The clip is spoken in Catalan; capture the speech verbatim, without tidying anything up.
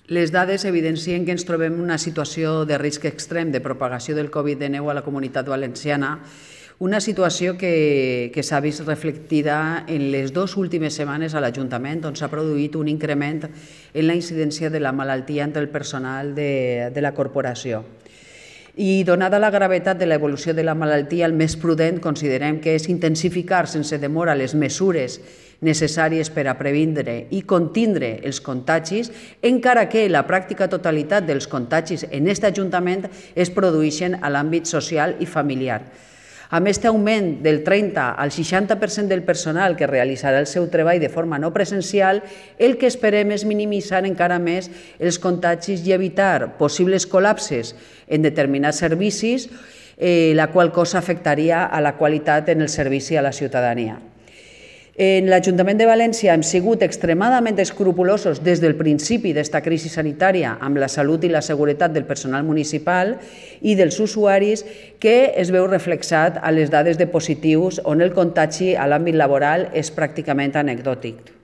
Les dades evidencien que ens trobem en una situació de risc extrem de propagació del Covid dinou a la Comunitat Valenciana, una situació que, que s'ha vist reflectida en les dues últimes setmanes a l'Ajuntament, on s'ha produït un increment en la incidència de la malaltia entre el personal de, de la corporació. I donada la gravetat de l'evolució de la malaltia, el més prudent considerem que és intensificar sense demora les mesures necessàries per a previndre i contindre els contagis, encara que la pràctica totalitat dels contagis en aquest Ajuntament es produeixen a l'àmbit social i familiar. Amb aquest augment del trenta al seixanta per cent del personal que realitzarà el seu treball de forma no presencial, el que esperem és minimitzar encara més els contagis i evitar possibles col·lapses en determinats servicis, eh, la qual cosa afectaria a la qualitat en el servici a la ciutadania. En l'Ajuntament de València hem sigut extremadament escrupulosos des del principi d'esta crisi sanitària amb la salut i la seguretat del personal municipal i dels usuaris, que es veu reflexat a les dades de positius on el contagi a l'àmbit laboral és pràcticament anecdòtic.